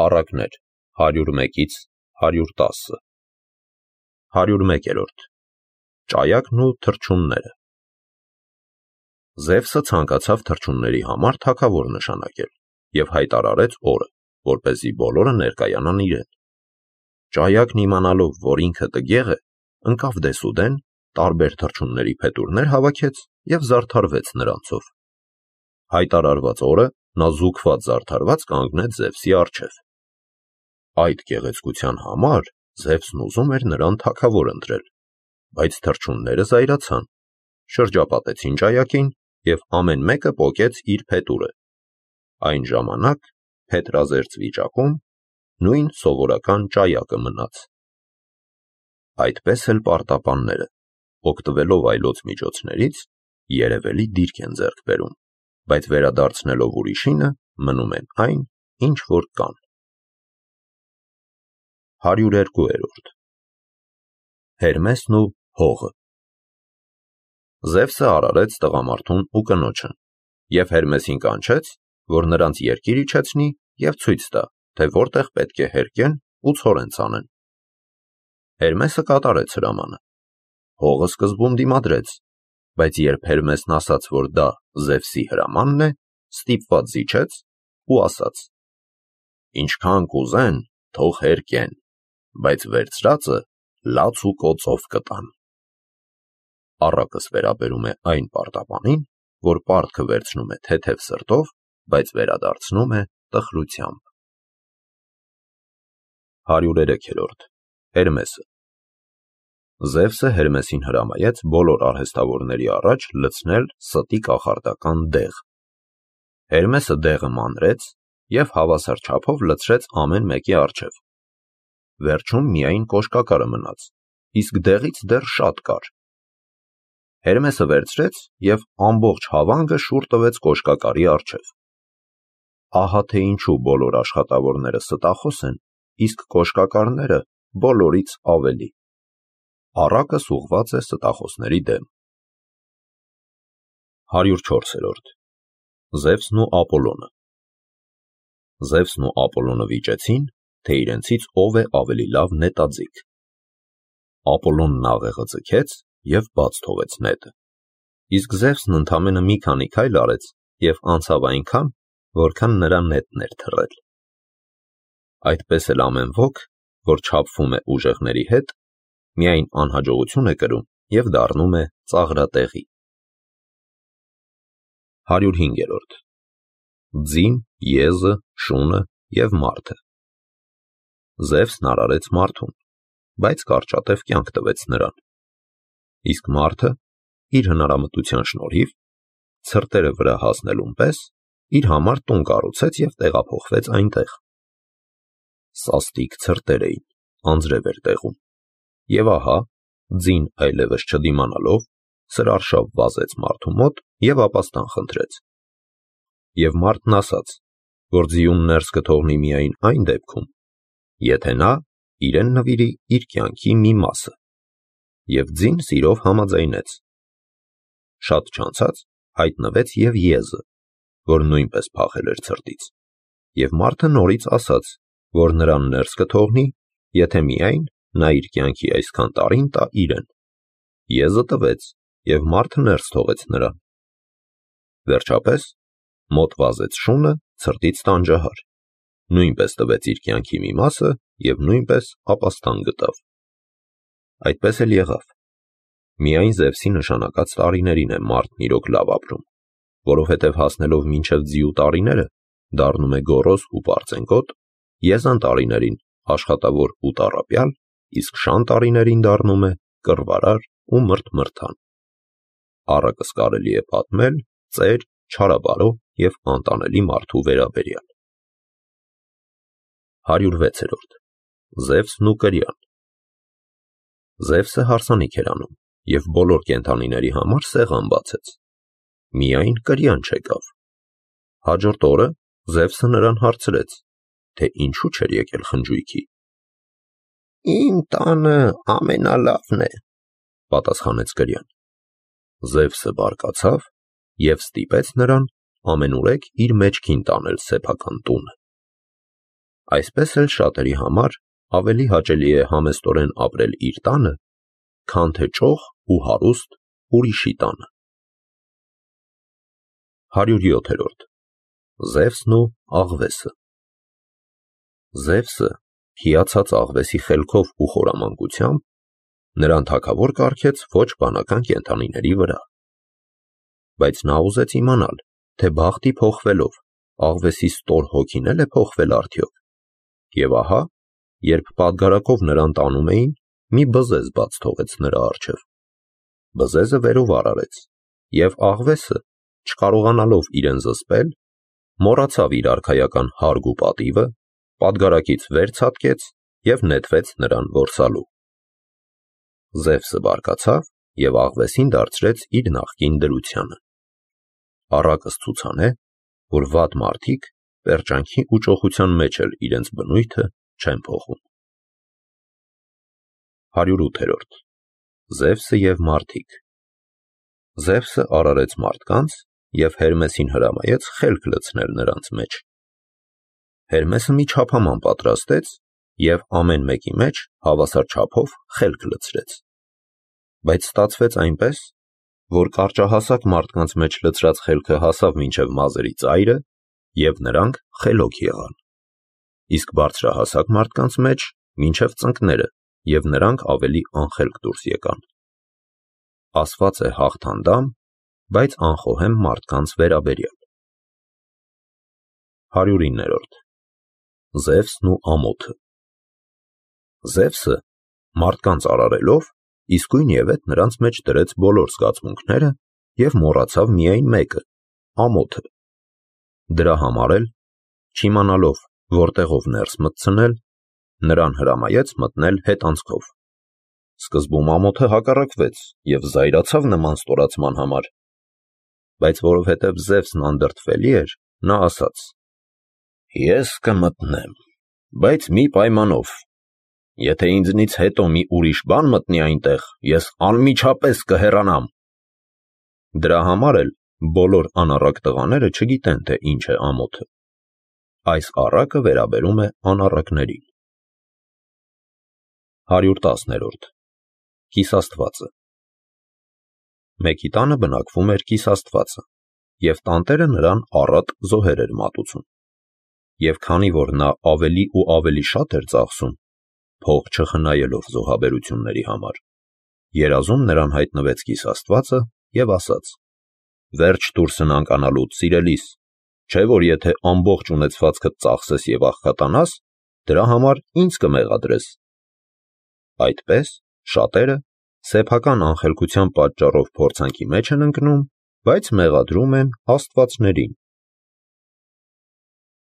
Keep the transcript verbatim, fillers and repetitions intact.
Առակներ հարյուր մեկից հարյուր տասը հարյուր մեկերորդ Ճայակն ու թռչունները Զևսը ցանկացավ թռչունների համար թագավոր նշանակել և հայտարարեց օրը, որպեսզի բոլորը ներկայանան իրեն։ Ճայակն իմանալով, որ ինքը տգեղ է, ընկավ դեսուդեն, տարբեր թռչունների փետուրներ հավաքեց և զարդարվեց նրանցով։ Հայտարարված օրը նա զուգված զարդարված կանգնեց Զևսի առջև։ Այդ գեղեցկության համար Զևսն ուզում էր նրան թագավոր ընտրել, բայց թռչունները զայրացան, շրջապատեցին ճայակին և ամեն մեկը պոկեց իր փետուրը։ Այն ժամանակ փետրազերծ վիճակում նույն սովորական ճայակը մնաց։ Այդպես էլ պարտապանները, օգտվելով այլոց միջոցներից, երևելի դիրք են ձեռք բերում, բայց վերադարձնելով ուրիշինը, մնում են այն, ինչ որ կան։ հարյուր երկու Հերմեսն ու հողը Զևսը արարեց տղամարդուն ու կնոջը, և Հերմեսին կանչեց, որ նրանց երկիր իջեցնի և ցույց տա, թե որտեղ պետք է հերկեն ու ցորեն ցանեն։ Հերմեսը կատարեց հրամանը։ Հողը սկզբում դիմադրեց, բայց երբ Հերմեսն ասաց, որ դա Զևսի հրամանն է, ստիպված զիջեց ու ասաց. «Ինչքան կուզեն, թող հերկեն, բայց վերցրածը լաց ու կոծով կտան»։ Առակս վերաբերում է այն պարտապանին, որ պարտքը վերցնում է թեթև սրտով, բայց վերադարձնում է տխրությամբ։ հարյուր երեք Հերմեսը Զևսը Հերմեսին հրամայեց բոլոր արհեստավորների առաջ լցնել ստի կախարդական դեղ։ Հերմեսը դեղը մանրեց և հավասար չափով լցրեց ամեն մեկի առջև։ Վերջում միայն կոշկակարը մնաց, իսկ դեղից դեռ շատ կար։ Հերմեսը վերցրեց և ամբողջ հավանգը շուռ տվեց կոշկակարի առջև։ Ահա թե ինչու բոլոր աշխատավորները ստախոս են, իսկ կոշկակարները բոլորից ավելի։ Առակս ուղղված է ստախոսների դեմ։ հարյուր չորս Զևսն ու Ապոլոնը Զևսն ու Ապոլոնը վիճեցին, թե իրենցից ով է ավելի լավ նետաձիգ։ Ապոլոնն աղեղը ձգեց և բաց թողեց նետը, իսկ Զևսն ընդամենը մի քանի քայլ արեց և անցավ այնքան, որքան նրա նետն էր թռել։ Այդպես էլ ամեն ոք, որ չափվում է ուժեղների հետ, միայն անհաջողություն է կրում և դառնում է ծաղրատեղի։ հարյուր հինգ Ձին, եզը, շունը և մարդը Զևսն արարեց մարդուն, բայց կարճատև կյանք տվեց նրան։ Իսկ մարդը, իր հնարամտության շնորհիվ, ցրտերը վրա հասնելուն պես, իր համար տուն կառուցեց և տեղափոխվեց այնտեղ։ Սաստիկ ցրտեր էին, անձրև էր տեղում, և ահա, ձին այլևս չդիմանալով, սրարշավ վազեց մարդու մոտ և ապաստան խնդրեց։ Եվ մարդն ասաց, որ ձիուն ներս կթողնի միայն այն դեպքում, եթե նա իրեն նվիրի իր կյանքի մի մասը, և ձին սիրով համաձայնեց։ Շատ չանցած հայտնվեց և եզը, որ նույնպես փախել էր ցրտից, և մարդը նորից ասաց, որ նրան ներս կթողնի, եթե միայն նա իր կյանքի այսքան տարին տա իրեն։ Եզը տվեց, և մարդը ներս թողեց նրան։ Վերջապես մոտ վազեց շունը ցրտից տանջահար, նույնպես տվեց իր կյանքի մի մասը և նույնպես ապաստան գտավ։ Այդպես էլ եղավ։ Միայն Զևսի նշանակած տարիներին է մարդն իրոք լավ ապրում, որովհետև հասնելով մինչև ձիու տարիները, դառնում է գոռոզ ու պարծենկոտ, եզան տարիներին աշխատավոր ու տառապյալ, իսկ շան տարիներին դառնում է կռվարար ու մրթմրթան։ Առակս կարելի է պատմել ծեր, չարաբարո և անտանելի մարդու վերաբերյալ։ հարյուր վեց Զևսն ու կրյան Զևսը հարսանիք էր անում և բոլոր կենդանիների համար սեղան բացեց։ Միայն կրյան չեկավ։ Հաջորդ օրը Զևսը նրան հարցրեց, թե ինչու չէր եկել խնջույքի։ «Իմ տանը ամենալավն է», պատասխանեց կրյան։ Զևսը բարկացավ և ստիպեց նրան ամենուրեք իր մեջքին տանել սեփական տունը։ Այսպես էլ շատերի համար ավելի հաճելի է համեստորեն ապրել իր տանը, քան թե ճոխ ու հարուստ ուրիշի տանը։ հարյուր յոթերորդ Զևսն ու աղվեսը։ Զևսը, հիացած աղվեսի խելքով ու խորամանկությամբ, նրան թագավոր կարգեց ոչ բանական կենդանիների վրա։ Բայց նա ուզեց իմանալ, թե բախտի փոխվելով աղվեսի ստոր հոգին էլ է փոխվել արդյոք։ Եվ ահա, երբ պատգարակով նրան տանում էին, մի բզեզ բաց թողեց նրա առջև։ Բզեզը վերովար արեց, և աղվեսը, չկարողանալով իրեն զսպել, մոռացավ իր արքայական հարգ ու պատիվը, պատգարակից վեր ցատկեց և նետվեց նրան որսալու։ Զևսը բարկացավ և աղվեսին դարձրեց իր նախկին դրությանը։ Առակս ցուցանե, որ վատ մարդիկ պերճանքի ու ճոխության մեջ էլ իրենց բնույթը չեն փոխում։ հարյուր ութերորդ Զևսը և մարդիկ։ Զևսը արարեց մարդկանց և Հերմեսին հրամայեց խելք լցնել նրանց մեջ։ Հերմեսը մի չափաման պատրաստեց և ամեն մեկի մեջ հավասար չափով խելք լցրեց։ Բայց ստացվեց այնպես, որ կարճահասակ մարդկանց մեջ լցրած խելքը հասավ մինչև մազերի ծայրը, և նրանք խելոք եղան, իսկ բարձրահասակ մարդկանց մեջ մինչև ծնկները, և նրանք ավելի անխելք դուրս եկան։ Ասված է հաղթանդամ, բայց անխոհեմ մարդկանց վերաբերյալ։ հարյուր իններորդ Զևսն ու ամոթը։ Զևսը մարդկանց արարելով իսկույն ևեթ նրանց մեջ դրեց բոլոր զգացմունքները և մոռացավ միայն մեկը՝ ամոթը։ Դրա համար էլ, չիմանալով որտեղով ներս մտցնել, նրան հրամայեց մտնել հետանցքով։ Սկզբում ամոթը հակառակվեց և զայրացավ նման ստորացման համար։ Բայց որովհետև Զևսն անդրդվելի էր, նա ասաց. «Ես կմտնեմ, բայց մի պայմանով. եթե ինձնից հետո մի ուրիշ բան մտնի այնտեղ, ես անմիջապես կհեռանամ»։ Դրա համար էլ բոլոր անառակ տղաները չգիտեն, թե ինչ է ամոթը։ Այս առակը վերաբերում է անառակներին։ հարյուր տասներորդ Կիսաստվածը։ Մեկի տանը բնակվում էր կիսաստվածը, և տանտերը նրան առատ զոհեր էր մատուցում։ Եվ քանի որ նա ավելի ու ավելի շատ էր ծախսում, փող չխնայելով զոհաբերությունների համար, երազում նրան հայտնվեց կիսաստվածը և ասաց. «Վերջ դուրսն անկանալուց, սիրելիս, չէ՞ որ եթե ամբողջ ունեցվածքդ ծախսես և աղքատանաս, դրա համար ինձ կմեղադրես»։ Այդպես շատերը սեփական անխելքության պատճառով փորձանքի մեջ են ընկնում, բայց մեղադրում են աստվածներին։